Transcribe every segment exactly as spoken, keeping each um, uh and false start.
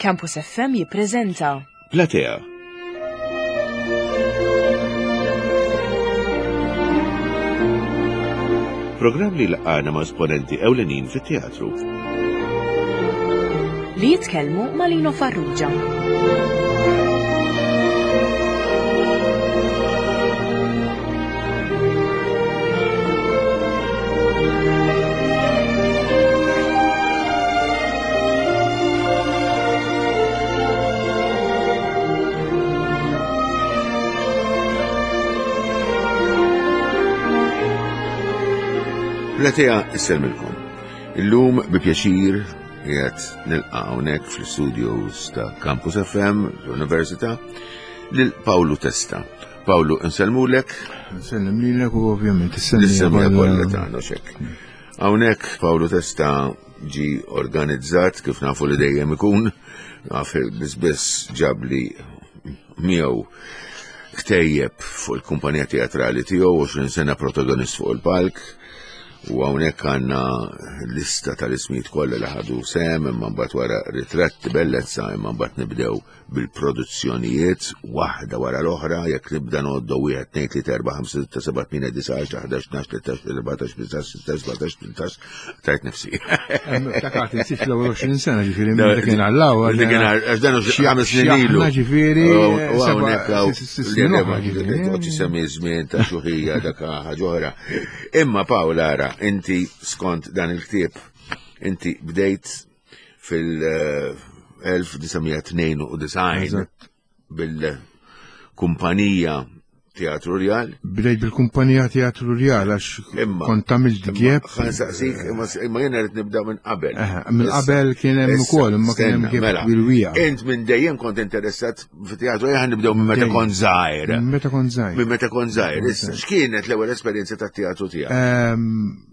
Campus F M jippreżenta Platea. Programm li laqana ma' esponenti ewlenin fit-teatru. Li jitkellmu ma' Lino Farrugia. Platea issellmilkom. Illum bi pjaċir qiegħed nilqa' hawnhekk fl-studios ta' Campus F M l-Università lil Pawlu Testa. Pawlu, insellmulek. Nsellem lilek u ovvjament L-semija kollha tagħna xek. Hawnhekk Pawlu Testa ġi organizzat kif nafu li dejjem ikun, naf biss biss ġabli miegħu ktejjeb fuq il-kumpanija teatrali tiegħu, għoxrin sena protagonist fuq il-palk. U hawnhekk għandna lista tal-ismijiet kollha li ħadu sem, imma mbagħad wara ritratti bellezza, imma mbagħad nibdew bil-produzzjonijiet waħda wara l-oħra, jekk nibda ngħoddu wieħed, tnejn, tlieta, erba', ħamsa, sitta, seba', tmienja, disa', għaxra, ħdax, tnax, tlettax, erbatax, ħmistax, sittax, sbatax, tmintax, tajt nifsi. Takat, nsit l-ewwel għoxrin sena, ġifieri, minn dak kien għallaw. Dik kien għal, għax dan hu ħames snin ilu. Ġifieri, U hawnhekk hawn snin oħra, ġifieri. Toqgħodx semmi żmien ta' xuħija dak ħaġa oħra. Imma Pawl, ara, inti skont dan il-ktieb, inti bdejt fil-elf disa' mija tnejn u disgħin Eżatt. bil-kumpanija Teatru Rjal. Bdejt bil-kumpanija Teatru Rjal għax Imma- kont għamilt gap. Ħa nsaqsik, imma imma jiena rrid nibda minn qabel. Eħe, minn qabel kien hemm Issa, ukoll, imma kien hemm stenna, gap mela. bil-wija. Int minn dejjem kont interessat fit-teatru, ejja nibdew minn meta Dejjem. kont żgħir. Meta kont żgħir. Minn meta kont żgħir. Issa, x'kienet l-ewwel esperjenza tat-teatru tiegħek? Ehm,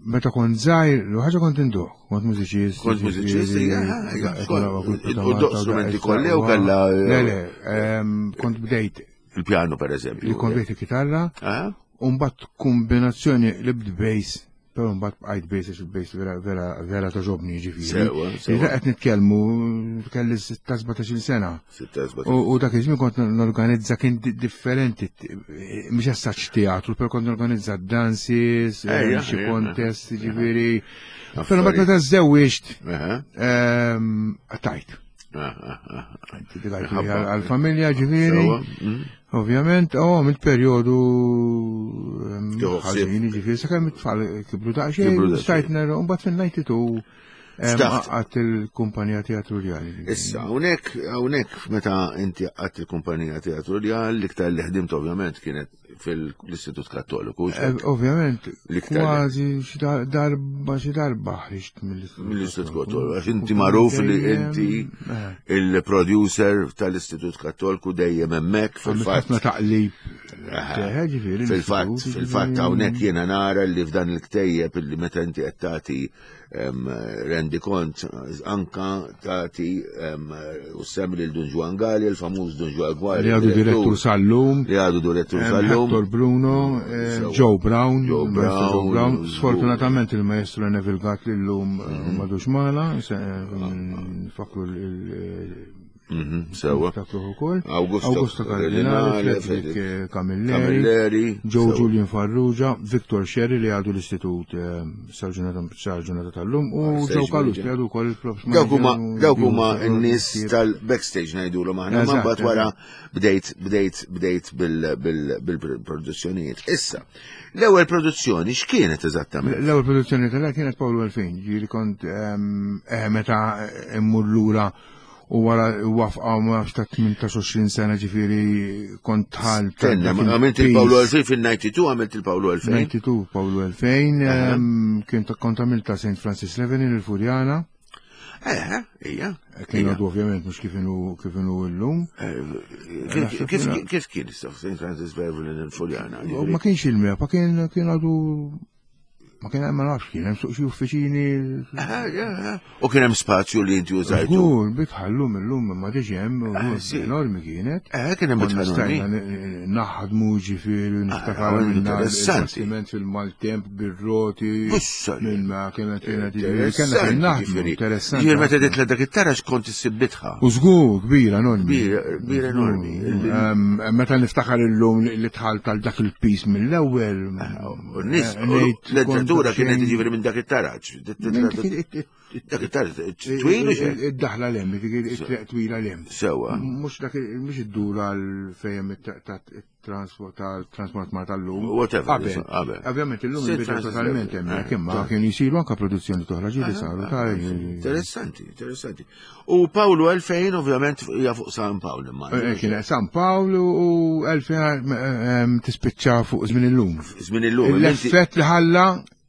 Meta kont żgħir, ħaġa kont indoqq, kont mużiċist. Kont mużiċist, ġifieri, ija, ija, ija, kont- grupp ta' u Malta, doq strumenti u kollha u kellha- Le, le, ehm, kont bdejt Il-pjanu per eżempju. Li kont bdejt il-kitarra, Ah? u mbagħad kombinazzjoni li bd bass, però mbagħad bqajt bass għax il-bass vera vera vera togħġobni, ġifieri. Sewa, sewa. Iżda qed nitkellmu kelli sitta sbatax-il sena. Sitta, sbatax. U u dak iż-żmien kont norganizza, kien di- differenti, mhux essaċ teatru, però kont norganizza dances, Ejja, xi ejja. contest, ġifieri. Però mbagħad meta żewwiġt, Aha. ehm, tajt. Ah, ah, ah. Għal għal-familja, ġifieri. Sewa, mm. Ovvjament, oh, għamilt periodu ehm, Tieħu ħsieb. ħażin, ġifieri, sakemm it-tfal kibru daqsxejn, Kibru daqsxejn. stajt nara, u mbagħad fin-disgħa u tnejn Ftaħt. għadt il-kumpanija Teatru Rjali. Issa, hawnhekk, hawnhekk meta inti għadt il-kumpanija Teatru Rjal, l-iktar li ħdimt ovvjament kienet fil-Istitut Kattoliku. Eh, Ovvjament, L-iktar li- kważi xi dar- darba xi darba ħriġt mill-Istitut Mill-Istitut Kattoliku, għax inti magħruf li inti Eh. il-producer tal-Istitut Kattoliku dejjem hemmhekk fil-fatt. fil-fatt. Ħafna taqlib. Aha. Eh, ġifieri, Fil-fatt, l-istitut, fil-fatt ġifieri- hawnhekk jiena nara li f'dan il-ktejjeb illi meta inti qed tagħti em, rendi kont anka tagħti em, u semmi lil Dun Juan Gali, il-famuż Dun Juan Gali. Li għadu direttur sal-lum. Li għadu direttur Ehm, sal-lum. Hector Bruno, eh, Sewa. Joe Brown, Joe il-maestro Joe Brown, Brown. żgur. Sfortunatament il-maestro Neville Gatt li l-lum Mhm. madux magħna, se- nfakru il- Mhm, Sewa. niftakru ukoll. Augusto Augusto Cardinale, Cardinale, Frederick eh, Camilleri, Camilleri, Joe sewa. Julian Farrugia, Victor Sherry li għadu l-istitut eh, sal-ġurnata tal-lum u Ah, Joe Stage Callus manager. li għadu wkoll il-props Dawk huma manager u- dawk huma u- n-nies tal-backstage ngħidulhom aħna, ma Eżatt, mbagħad wara bdejt bdejt bdejt bil- bil- bil-produzzjonijiet. Issa, l-ewwel produzzjoni x'kienet eżattament? L-ewwel produzzjoni tal kienet Paolo elfejn, ġieli kont ehm, eh, meta immur lura u wara wafqa ma nafx ta' tmintax sena, ġifieri kont ħal. Tenna, għamilt il-Paolo elfejn fil-disgħa u disgħin, għamilt il-Paolo elfejn. disgħa u tnejn Paolo elfejn, ehm, kien kont għamilt ta' Saint Francis Revenue il-Furjana. Eh, ija. Kien għadu ovvjament mhux kif inhu kif inhu llum. Kif kif- kif kien issa Saint Francis Beverly il-Furjana? Ma kienx il-MEPA, kien kien għadu Ma kien hemm ma nafx kien hemm suq xi uffiċini. U kien hemm spazju li inti użajtu. Żgur, bitħallum illum ma diġ hemm, enormi kienet. Eh, kien hemm bitħallum. Stajna naħdmu ġifieri niftakar minna il-bastiment fil-maltemp bir-roti. Minn ma kienet kienet kienet naħdmu interessanti. Ġifieri meta titla' dak it-taraġ kont issib bitħa. U żgur kbira enormi. Kbira enormi. Meta niftakar illum li tħall tal dak il-pis mill-ewwel. U n-nies l-entratura kienet ġifieri minn dak it-taraġ. Dak it-taraġ twil u xejn. Id-daħla l-hemm, it-triq twila l-hemm. Sewwa. Mhux dak mhux id-dura fejn it-transport tal-transport ma tal-lum. Whatever. Qabel. Ovvjament illum inbidel totalment hemmhekk, imma kienu jsiru anke produzzjoni oħra ġieli saru ta' Interessanti, interessanti. U Pawlu elfejn ovvjament hija fuq San Pawl imma. Kien San Pawl u elfejn tispiċċa fuq żmien illum. Żmien illum. L-effett li ħalla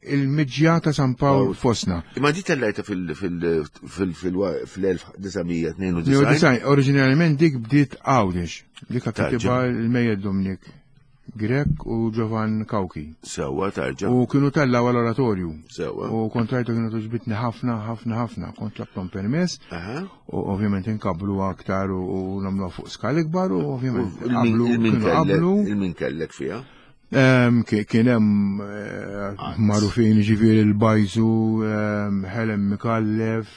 il-miġja ta' San Pawl fosna. Imma di tellajta fil-elf disa' mija tnejn u disgħin? Oriġinarjament dik bdiet Għawdex. Dik kitibha il-Mejjed Dominic Grech u Giovan Cauchi. Sewwa tarġa. U kienu tellaw għall-oratorju. Sewwa. U kontrajtu kienu toġbitni ħafna, ħafna, ħafna. Kont tlabtom permess. U ovvjament inkablu aktar u nagħmluha fuq skala ikbar u ovvjament qablu. Il-min kellek fiha? Kien hemm magħrufin ġifieri l-Bajżu, Helen Micallef,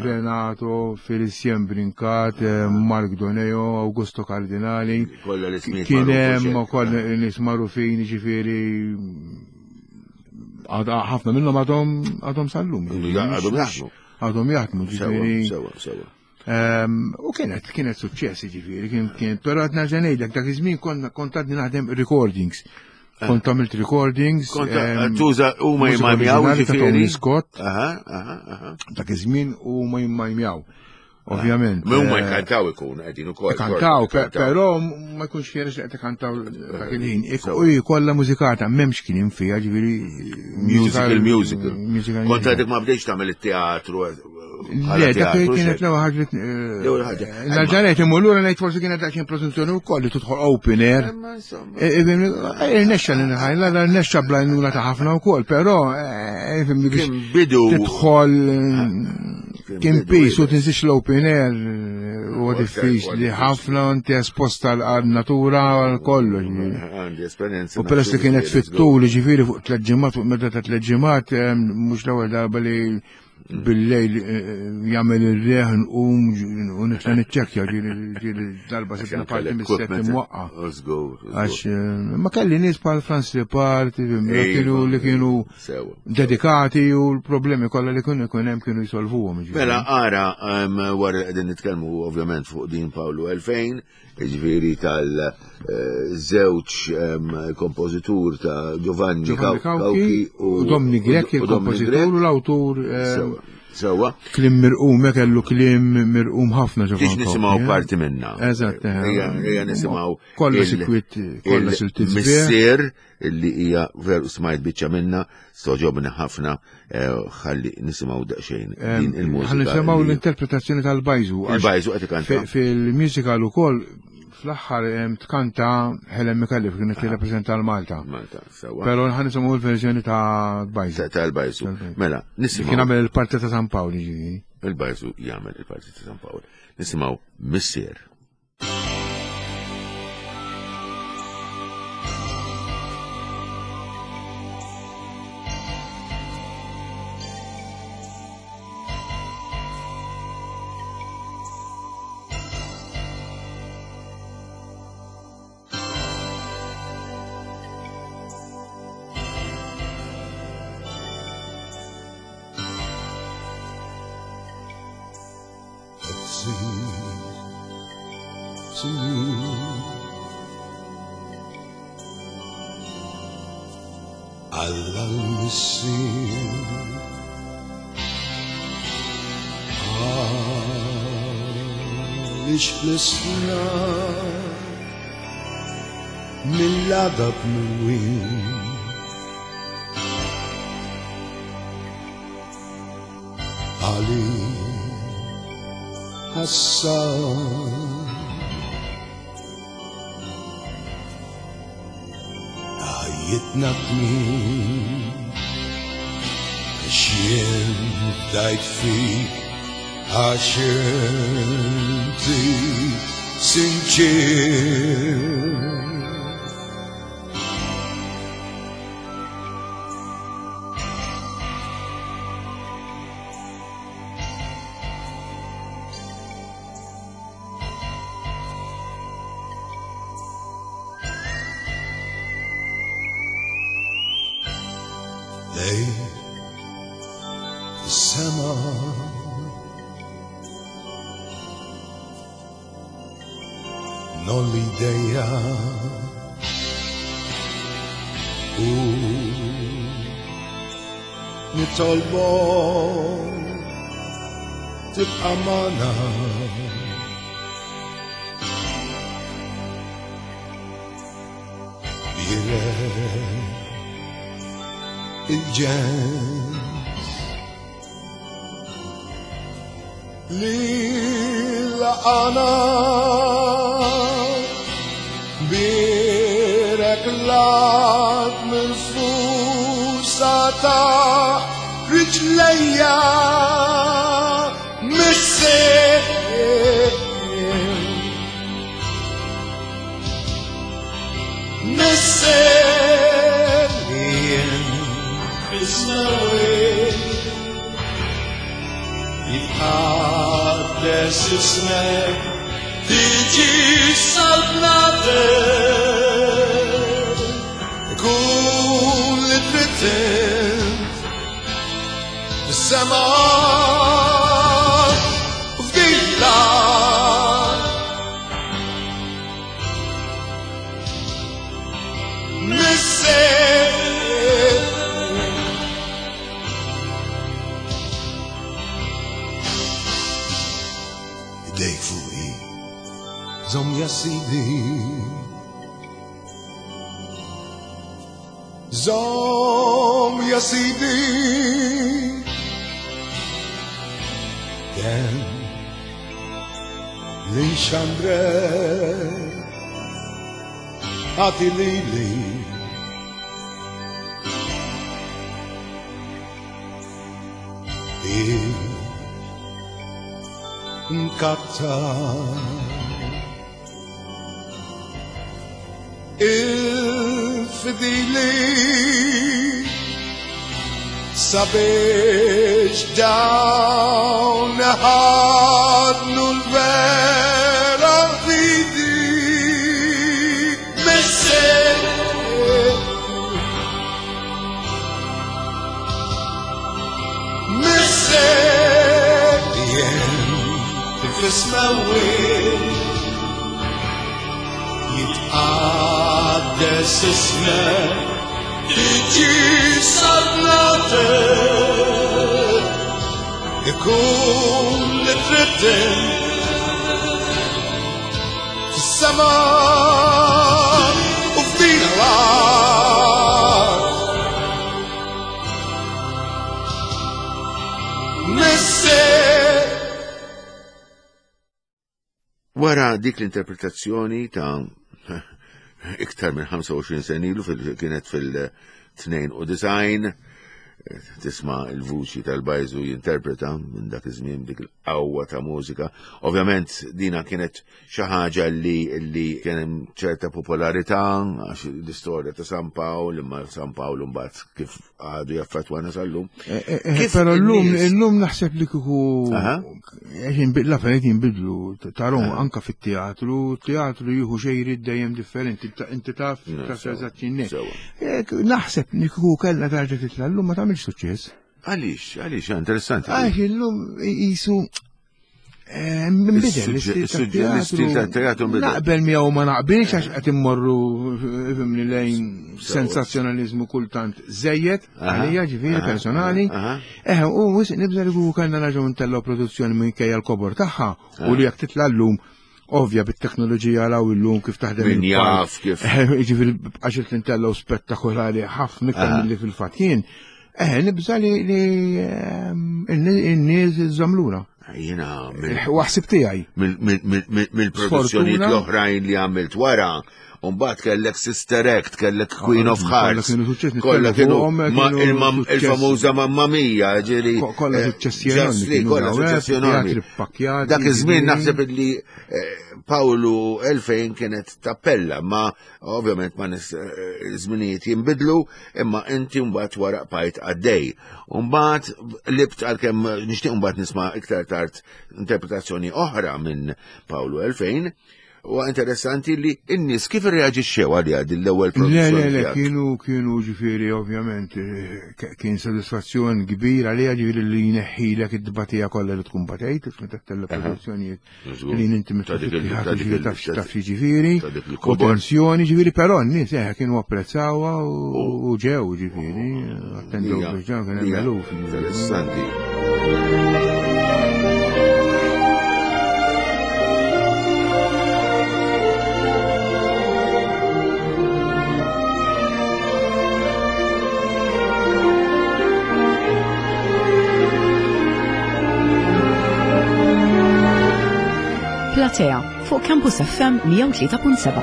Renato, Felicien Brincat, Mark Doneo, Augusto Cardinali. Kien hemm ukoll nies magħrufin ġifieri ħafna minnhom għadhom għadhom sal-lum. Għadhom jaħdmu. Għadhom jaħdmu ġifieri. Sewwa, sewwa. U kienet kienet suċċess ġifieri, kien kien però qed nerġa' ngħidlek dak iż-żmien kont għadni naħdem recordings. Kont għamilt recordings. Kont tuża huma jmajmjaw ġifieri. Scott. Aha, aha, aha. Dak iż-żmien huma jmajmjaw. Ovvjament. Ma huma jkantaw ikun qegħdin ukoll. Kantaw, però ma jkunx ħiereġ li qed ikantaw dak il-ħin. U kollha mużikata m'hemmx kien fiha ġifieri musical musical. Kont għadek ma bdejx tagħmel it-teatru. Le, dak kienet l-ewwel ħaġa. L-ewwel ħaġa. Nerġa' ngħid imur lura ngħid forsi kienet daqsxejn produzzjoni wkoll li tidħol open air. Irnexxa li nħajla, rnexxa bl-għajnuna ta' ħafna wkoll, però biex tidħol kien pis u tinsiex l-open air huwa diffiċli ħafna inti esposta għal-natura għal kollox. Għandi esperjenza. U peress li kienet fit-tul, ġifieri fuq tliet ġimgħat, fuq meta ta' tliet ġimgħat, mhux l-ewwel darba li bil-lejl jagħmel ir-reħ nqum u nitla' niċċekkja ġieli darba sibna parti mis-sett imwaqqa. Għax ma kelli nies bħal Franz Ripart kienu li kienu dedikati u l-problemi kollha li kienu jkun hemm kienu jsolvuhom. Mela ara wara li qegħdin nitkellmu ovvjament fuq din Pawlu elfejn, ġifieri tal-żewġ kompożitur ta' Giovanni Cauchi u Dominic Grech, il-kompożitur u l-awtur. Sewwa. Kliem mirqum, kellu kliem mirqum ħafna Giovanni. Biex nisimgħu parti minna. Eżatt. Ejja nisimgħu. Kollha sikwit, kollha siltiet. Missier li hija veru smajt biċċa minna, stoġobni ħafna, ħalli nisimgħu daqsxejn din il-mużika. Ħalli nisimgħu l-interpretazzjoni tal-Bajżu. Il-Bajżu qed ikanta. Fil-musical ukoll fl-aħħar tkanta Helen Micallef kienet tirrappreżenta l-Malta. Malta, sewwa. Però ħa nisimgħu l-verżjoni ta' Bajżu. Tal-Bajżu. Mela, nisimgħu. Kien għamel il-parti ta' San Pawl ġifieri. Il-Bajżu jagħmel il-parti ta' San Pawl. Nisimgħu Missier. Alla l-Missier għaliex fl-isna mill-għadab mwin għali ħassan ħajjitna tmien Għax jien fdajt fik, għax inti sinċir. Lej is-sema Nolli dejja u nitolbu tibqa' magħna. Bierek il-ġens li laqana birek lat minn fusa ta' riġlejja missier missier fis-smewwiet jitqaddes ismek, tiġi saltnatek, ikun li trid int fis-sema u f'din l-art. Missier idejk fuqi, żomm ja Sidi, żomm ja Sidi, kemm li nxandrek agħti lili. Nkattar il-fidili sabiex dawn ħadnu l-vera fidi. Missier missier fis-smewwiet jitqaddes ismek, tiġi saltnatek, ikun li trid int fis-sema u f'din l-art. Missier. Wara dik l-interpretazzjoni ta' iktar minn ħamsa u għoxrin sena ilu, fil-, kienet fil-tnejn u disgħin, tisma' il-vuċi tal-Bajżu jinterpreta minn dak iż-żmien dik il-qawwa ta' mużika. Ovvjament dina kienet xi ħaġa li, li kien hemm ċerta popolarità għax l-istorja ta' San Pawl, imma San Pawl mbagħad kif għadu jaffettwana sal-lum. Eh, eh, eh, Kif Però llum, in-nies illum naħseb li kieku Aha. għax inbid-, l-affarijiet jinbidlu, tarahom anka fit-teatru, teatru jieħu xejrid dejjem differenti, inti, inti taf, Ne, taf sewa, eżatt x'inhi. sewa. Eh, naħseb li kieku kellha tarġa' titla' llum ma tagħmilx suċċess. Għaliex, għaliex, interessanti. Għax illum jisu eh, nbidel, Is-suġġe- l-istil is-suġġe- l-istil tat-teatru nbidel. Naqbel miegħu ma naqbilx għax qed immorru fimni lejn Sewa. sensazzjonaliżmu kultant żejjed Aha, għalija ġifieri aha, personali. aha. Eh, u wisq nibża li kieku kellna nerġgħu ntellgħu produzzjoni minkejja l-kobor tagħha u li jekk titla' llum ovvja bit-teknoloġija law illum kif taħdem Min il-palk. jaf kif. Eh, Ġifieri għax qed nintellgħu spettakolari ħafna iktar Aha. milli fil-fatt kien. Eh, nibża li ehm, n-nies iżżomm lura. Jiena Waħsib tiegħi. mill-produzzjonijiet l-oħrajn li għamilt wara, Umbagħad kellek Sister Act, kellek Queen of Hearts. Kollha kienu il-famuża Mamma Mia, ġiri. Kollha suċċessi enormi. Kollha suċċessi enormi. Dak iż-żmien naħseb li Pawlu elfejn kienet tappella, ma ovvjament ma nis żminijiet jinbidlu, imma inti mbagħad wara bqajt għaddej. Mbagħad libt għalkemm nixtieq mbagħad nisma' iktar tard interpretazzjoni oħra minn Pawlu elfejn. U interessanti li n-nies kif irreaġixxew għalija din l-ewwel produzzjoni. Le, le, le, kienu kienu ġifieri ovvjament kien sodisfazzjon kbir għalija ġifieri li jneħħilek id-dbatija kollha li tkun batejt, meta tella produzzjonijiet li inti taf ġifieri, u tensjoni ġifieri, però n-nies eh kienu apprezzawha u ġew ġifieri, attendew biex ġew kien hemm eluf. Interessanti. Platea fuq Campus F M mija u tlieta punt seba'.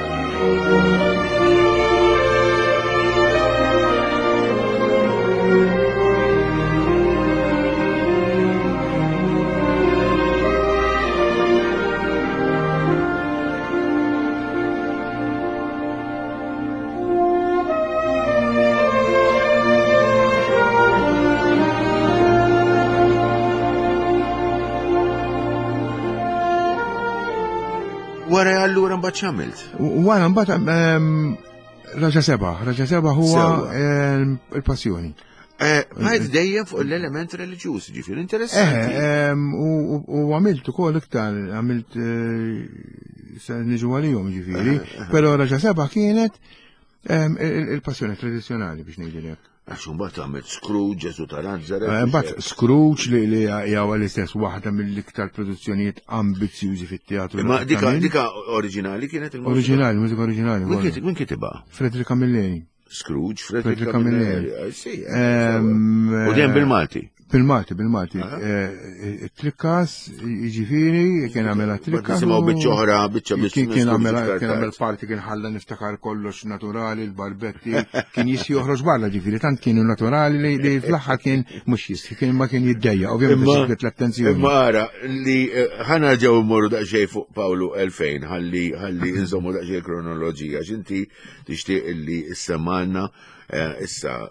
Wara allura mbagħad x'għamilt? Wara mbagħad Raġa Seba, Raġa Seba huwa il-passjoni. Bqajt dejjem fuq l-element reliġjuż, ġifieri interessanti. U għamilt ukoll iktar, għamilt se niġu għalihom ġifieri, però Raġa Seba kienet il-passjoni tradizzjonali biex ngħidilek. Għax imbagħad għamilt Scrooge, Ġesu ta' Nazaret. Imbagħad Scrooge li li hija l-istess waħda mill-iktar produzzjonijiet ambizzjużi fit-teatru. Ma dika dika oriġinali kienet il-mużika? Oriġinali, mużika oriġinali. Min kitibha? Frederick Camilleri. Scrooge, Frederick Camilleri. U dejjem bil-Malti. Bil-Malti, bil-Malti. Trikkas, jiġifieri, kien għamela trikkas. Nisimgħu biċċa oħra, biċċa biċċa. Kien għamela kien għamel parti kien ħalla niftakar kollox naturali, l-barbetti, kien jissi joħroġ barra ġifieri, tant kienu naturali li fl-aħħar kien mhux jissi, kien ma kien jiddejja, ovvjament ġibdet l-attenzjoni. Imma ara li ħana ġew immorru daqsxejn fuq Pawlu elfejn, ħalli ħalli inżommu daqsxejn kronoloġija, x'inti tixtieq illi issemmalna issa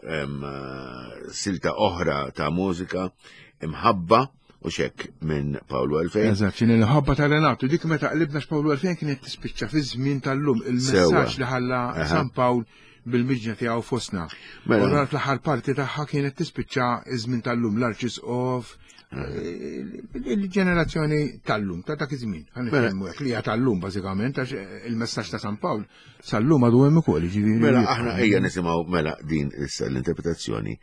silta oħra ta' mużika imħabba u xek minn Pawlu elfejn. Eżatt, x'inhi l-ħabba ta' Renato, dik meta qlibna x'Pawlu elfejn kienet tispiċċa fi żmien tal-lum, il-messaġġ li ħalla San Pawl bil-miġna tiegħu fostna. U l-aħħar parti tagħha kienet tispiċċa iż-żmien tal-lum, l-Arċisqof, il-ġenerazzjoni tal-lum, ta' dak iż-żmien. Ħa nitkellmu hekk li hija tal-lum bażikament għax il-messaġġ ta' San Pawl sal-lum għadu hemm ukoll, jiġifieri. Mela aħna ejja nisimgħu mela din issa l-interpretazzjoni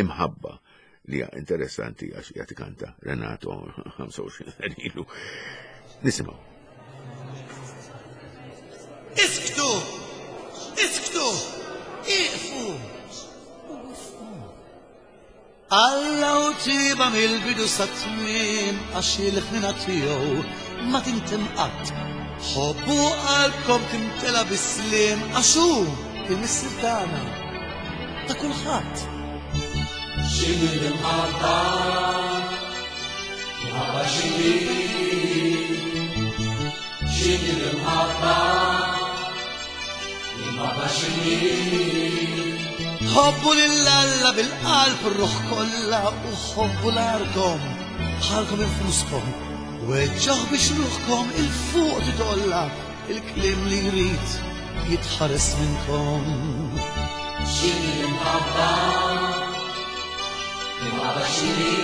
imħabba li hija interessanti għax hija tikanta Renato ħamsa u għoxrin ilu. Nisimgħu. Isktu! Isktu! Iqfu! Alla u tiba mill-bidu sa tmiem għax il-ħnina tiegħu ma tintem qatt. Ħobbu qalbkom timtela bis-sliem għax hu il-Missier tagħna ta' kulħadd. X'inhi l-imħabba? Imħabba x'inhi? X'inhi l-imħabba? Imħabba x'inhi? Ħobbu lil Alla bil-qalb ir-ruħ kollha u ħobbu l-arkom bħalkom infuskom. Weġġaħ biex ruħkom il-fuq titolla il-kliem li jrid jitħares minnkom. X'inhi l-imħabba? L-imħabba x'inhi?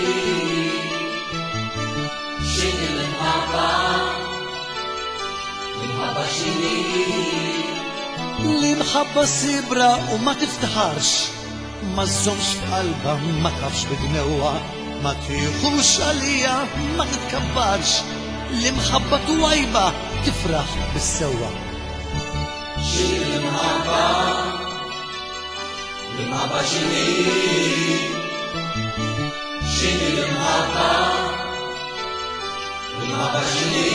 X'inhi l-imħabba? L-imħabba x'inhi? L-imħabba sibra u ma tiftaħarx, ma żżommx f'qalbha, ma tafx bidnewha, ma tieħux għalija, ma titkabbarx. L-imħabba twajba tifraħ bis-sewwa. X'inhi l-imħabba? L-imħabba x'inhi? X'inhi l-imħabba? L-imħabba x'inhi?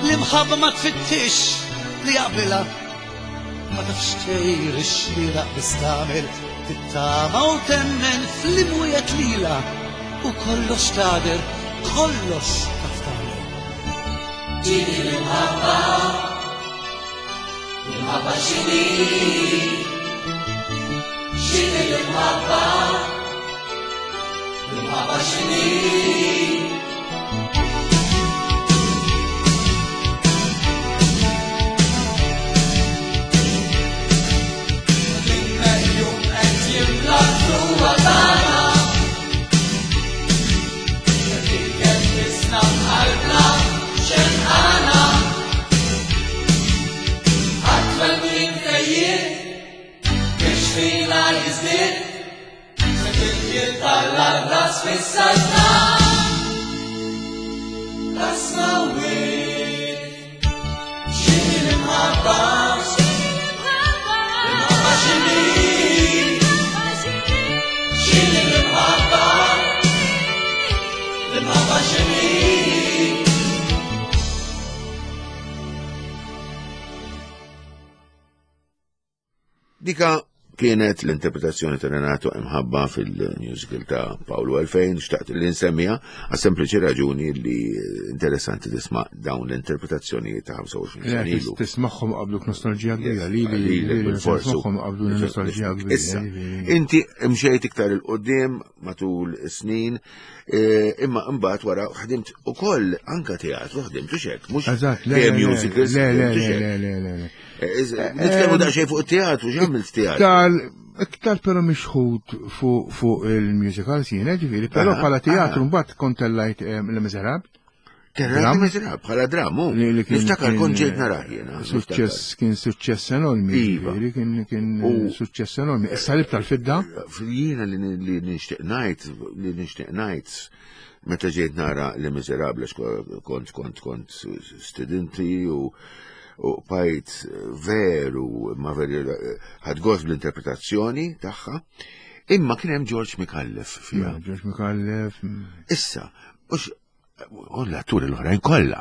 L-imħabba ma tfittix li jaqbilha, ma tafx tgħir ix-xieraq biss tagħmel, tittama u temmen fl-imwiet lila, u kollox tagħder, kollox taf tagħmel. X'inhi l-imħabba? L-imħabba x'inhi? X'inhi l-imħabba? L-imħabba x'inhi? L-immeljum qed jimla d-duwa tagħna. Dik tisna b'qalbna xenqana. Għat-twelmin fejjieq biex fina jiżdied, se tilkil tal-ras fis-saltna tas-smewwiet. X'inhi l-imħabba? L-imħabba x'inhi? X'inhi l-imħabba? L-imħabba x'inhi? Dika kienet l-interpretazzjoni ta' Renato Imħabba fil-musical ta' Paolo Elfejn, xtaqt li nsemmija għas sempliċi raġuni li interessanti tisma' dawn l-interpretazzjoni ta' ħamsa u għoxrin sena ilu. Tismagħhom qabluk nostalġija kbira, li li Lili, li bil-forsu. tismagħhom qablu nostalġija kbira. Issa, inti mxejt iktar il-qoddim matul is-snin, eh, imma imbagħad wara ħdimt ukoll anka teatru, ħdimt u xek, mhux Eżatt, le, kemm le, musicals, le, le, ħdimt u le, xek. le, le, le, le. Eh, iz- Nitkellmu daqsxejn fuq it-teatru, x'għamilt teatru? Iktar, iktar però mixħut fuq fuq il-musicals jiena, ġifieri, però Aha, bħala teatru aha. mbagħad kont tellajt eh, Le Miserable. Terra Dram. Miserable, bħala dramu. Li- li kien- Niftakar kien, kont ġejt narah jiena. Suċċess, kien suċċess enormi, Iva. ġifieri, kien kien U- suċċess enormi. Is-salib tal-fidda, Jiena li li nixtieq ngħid, li nixtieq ngħid, meta ġejt nara Le Miserable, għax kont kont kont studenti u u bajt veru, ma veru ħadt gost bl-interpretazzjoni tagħha, imma kien hemm George Micallef fiha. George Micallef, mm, Issa, mhux u l-atturi l-oħrajn kollha.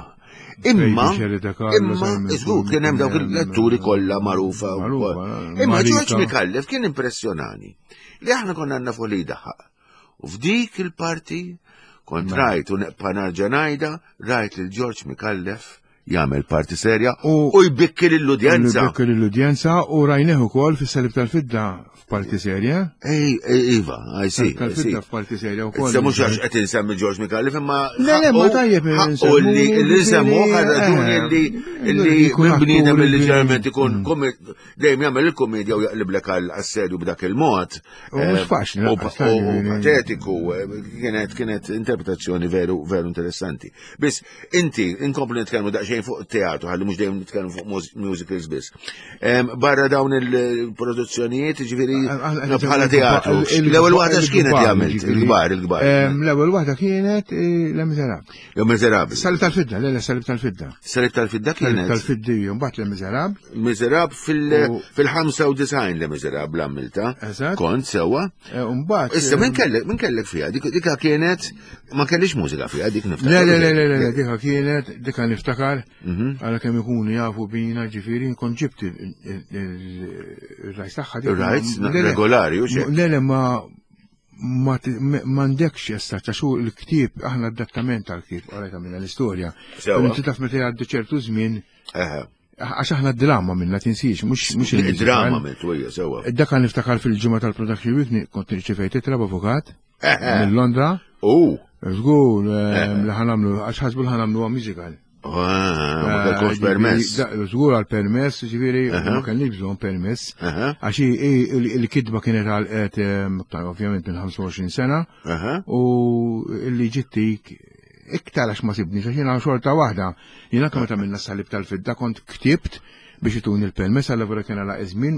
Imma, Baby Sherry De Carlo, imma, Simon żgur, kien hemm dawk kien hemm- l-atturi kollha magħrufa. u Magħrufa, koll. eh, Imma Marika. George Micallef kien impressjonani li aħna konna nafu li jdaħħaq. U f'dik il-parti kont rajt u neqpa narġa' ngħidha, rajt lil George Micallef jagħmel parti serja U- u jbikki lill-udjenza. Jbikki lill-udjenza u rajnieh ukoll fis-salib tal-fidda f'parti serja. Ej, ej, iva, I see, I see. Tal-fidda f'parti serja wkoll. Issa mhux għax qed insemmi George Micallef imma Le, le, ma ħaqqu- tajjeb ħaqqu insemmu, li li nsemmu ġifieri, għal raġuni eh, li li jkun minn bniedem attur li li- ġeneralment ikun Mm. komi- dejjem jagħmel il-komedja u jaqliblek għal assedju b'dak il-mod. U mhux Eh, faċli, U lanqas, u- u ġifieri. patetiku, eh, kienet kienet interpretazzjoni veru veru interessanti. Biss inti inkomplu nitkellmu daqsxejn fuq teatru, ħalli mhux dejjem nitkellmu fuq mus- musicals biss. Em, Barra dawn il-produzzjonijiet, ġifieri bħala teatru. L-ewwel waħda x'kienet li għamilt? Il-kbar, il-kbar. L-ewwel waħda kienet eh, Le Miserable. Jew Miserable. Salib tal-fidda, le, le, salib tal-fidda. Salib tal-fidda Salib kienet. tal-fidda, mbagħad Le Miserable. Miserable fil- U- fil-ħamsa u design Le Miserable għamilta. Eżatt. Kont sewwa. Eh, u mbagħad, Issa eh, min kellek min kellek fiha? Dik dika kienet ma kellix mużika fiha dik niftakar. Le, le, le, le, le, le, dika kienet, dika niftakar, Mhm. għala kemm ikunu jafu bina, ġifieri, nkun ġibt il- il- il- il-rights tagħha. dik. Il-rights, Le, le. regolari, u xek. Le, le, ma ma ti- ma- m'għandekx issa, ta' xu il-ktieb, aħna adattament tal-ktieb, għalek għamilna l-istorja. Sewa. Inti taf meta jgħaddi ċertu żmien, Eħe. għax aħna d-drama minna tinsiex, mhux mhux il-musical. Il-drama għamiltu hija sewwa. Dak niftakar fil-ġimgħa tal-Production Week ni- kont irċevejt ittra b'avukat Eħe. minn Londra. U. Żgur eh, li ħanamlu, għax ħasbu li ħanamlu musical. Ah, ma kellkomx Eh, permess. ġifieri, da- Żgur għal permess, ġifieri, ma kellniex bżonn permess. Aha. Għax hi- hi- il- il-kitba kienet għal qed eh, ovvjament minn ħamsa u għoxrin sena Aha. u li ġittik iktar għax ma sibni, għax jiena xorta waħda. Jiena kemm meta minna salib tal-fidda kont ktibt Biex ituni l-permess għalla vera kien għala iż-żmien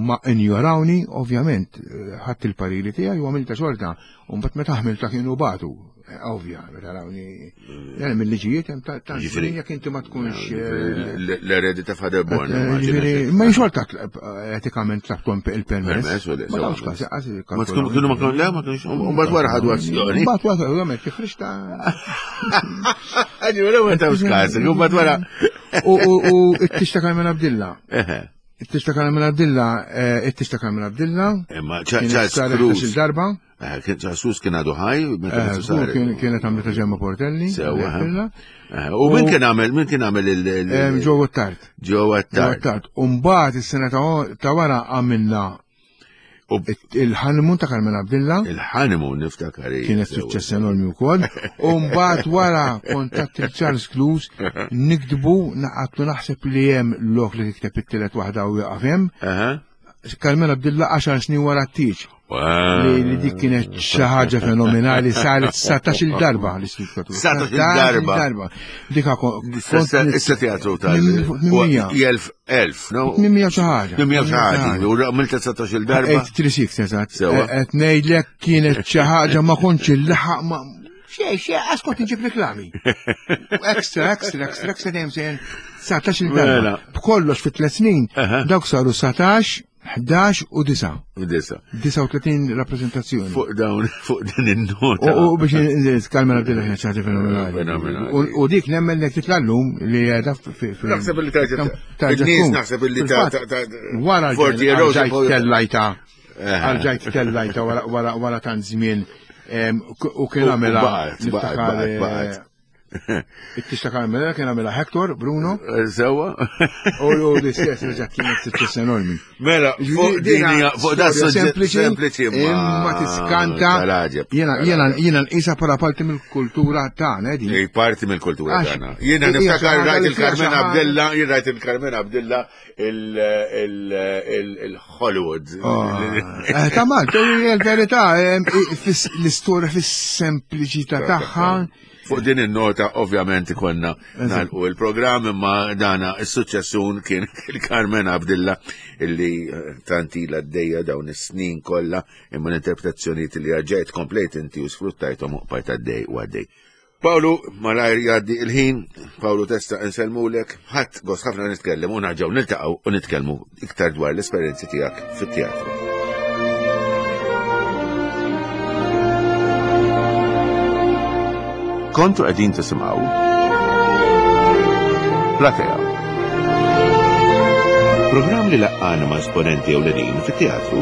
ma injorawni, ovvjament, ħadd il-pariri tiegħi u għamilta xorta. U mbagħad meta ħmilta kienu batu. Ovvja, meta rawni. Jien mill-liġijiet hemm ta' jekk inti ma tkunx l-eredi ta' Father Born. Ma xorta etikament tlabtom il-permess. Ma tawx każ, Ma tkun kienu ma kienu le ma kienx. U mbagħad wara ħadu azzjoni. Mbagħad wara ovvjament tifrix ta' Ġifieri ma tawx każ, u mbagħad wara. U it-tix ta' Carmen Abdilla. It-tix ta' Carmen Abdilla, it-tix ta' Carmen Abdilla. Imma Charles Cruz. Il-darba. Charles Cruz kien għadu ħaj. Kienet għamlita Ġemma Portelli. U min kien għamel, min kien għamel il- Joe Attard. Joe Attard. U mbagħad is-sena ta' wara għamilna il-honeymoon ta' Carmen Abdilla. Il-honeymoon niftakar. Kienet suċċess enormi wkoll. U mbagħad wara kontatt il-Charles Cruz nikdbu naqatlu naħseb li hemm lok li tikteb it-tielet waħda u jaqaf hemm. Carmen Abdilla għaxar snin wara t-tieġ. Li dik kienet xi ħaġa fenomenali, saret satax-il darba l-istitut. Satax-il darba. Dik issa teatru tal elf elf, no? Tmien xi ħaġa. Tmien xi ħaġa. U għamilta satax-il darba. eight three six eżatt. Qed ngħidlek kienet xi ħaġa ma kontx il-laħaq ma xej xej għax kont inġib reklami. Extra, extra, extra, extra dejjem sejn satax-il darba. B'kollox fi tliet snin dawk saru satax, ħdax u disa. U disa. Disa u tletin rappresentazzjoni. Fuq dawn, fuq din in-nota. U biex Carmen Abdilla kienet xi ħaġa fenomenali. U dik nemmen li titla' llum li qiegħda fi Naħseb li tarġa' in-nies naħseb li ta' wara ġajt tellajta. Għalġajt tellajta wara wara tant żmien u kien għamilha baqgħet. It-tix ta' Carmen kien għamilha Hector, Bruno. Sewa. U l-istess reġa' kienet suċċess enormi. Mela, fuq din fuq da sempliċi imma tiskanta. Jiena jiena jiena nqisha bħala parti mill-kultura tagħna din. Ej, parti mill-kultura tagħna. Jiena niftakar rajt il-Carmen Abdilla, jien rajt il-Carmen Abdilla il-Hollywood. Ta' Malta, il-verità, l-istorja fis-sempliċità tagħha. Fuq din in-nota ovvjament ikonna nagħlqu il-programm, imma dana is-suċċessun kien il-Carmen Abdilla illi tantila d-dejja dawn is-snin kollha, imma l-interpretazzjonijiet li għaġġejt komplejt inti u sfruttajthom u qbajt għaddej u għaddej. Pawlu, malajr jgħaddi il-ħin, Pawlu Testa insellmulek, ħadd gost ħafna nitkellem u narġgħu niltaqgħu u nitkellmu iktar dwar l-esperjenzi tiegħek fit-teatru. Kontu qegħdin tisimgħu Platea. Programm li laqqana ma' esponenti ewlenin fit-teatru.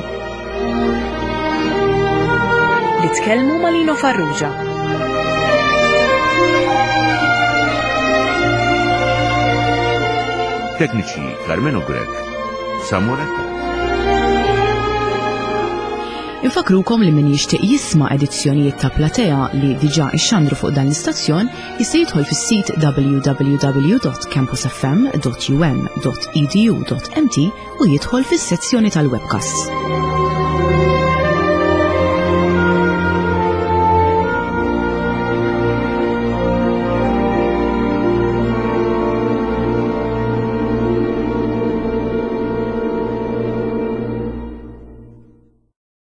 Li tkellmu ma' Lino Farrugia. Tekniċi Carmelo Grech, Samuel Attard. Infakrukom li min jixtieq jisma' edizzjonijiet ta' Platea li diġà ixxandru fuq dan l-istazzjon jista' jidħol fis-sit w w w dot campus f m dot u m dot e d u dot m t u jidħol fis-sezzjoni tal-webcasts.